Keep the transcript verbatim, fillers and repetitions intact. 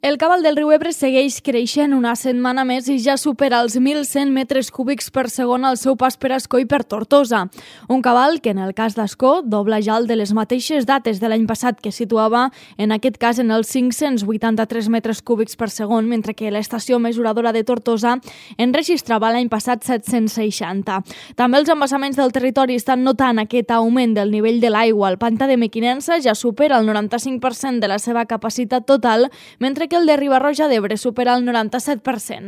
El cabal del riu Ebre segueix creixent una setmana més i ja supera els mil cent metres cúbics per segon al seu pas per Ascó i per Tortosa. Un cabal que, en el cas d'Ascó, dobla ja el de les mateixes dates de l'any passat, que situava, en aquest cas, en els cinc-cents vuitanta-tres metres cúbics per segon, mentre que l'estació mesuradora de Tortosa enregistrava l'any passat set-cents seixanta. També els embassaments del territori estan notant aquest augment del nivell de l'aigua. El pantà de Mequinensa ja supera el noranta-cinc per cent de la seva capacitat total, mentre que el de Riba-roja d'Ebre supera el noranta-set per cent.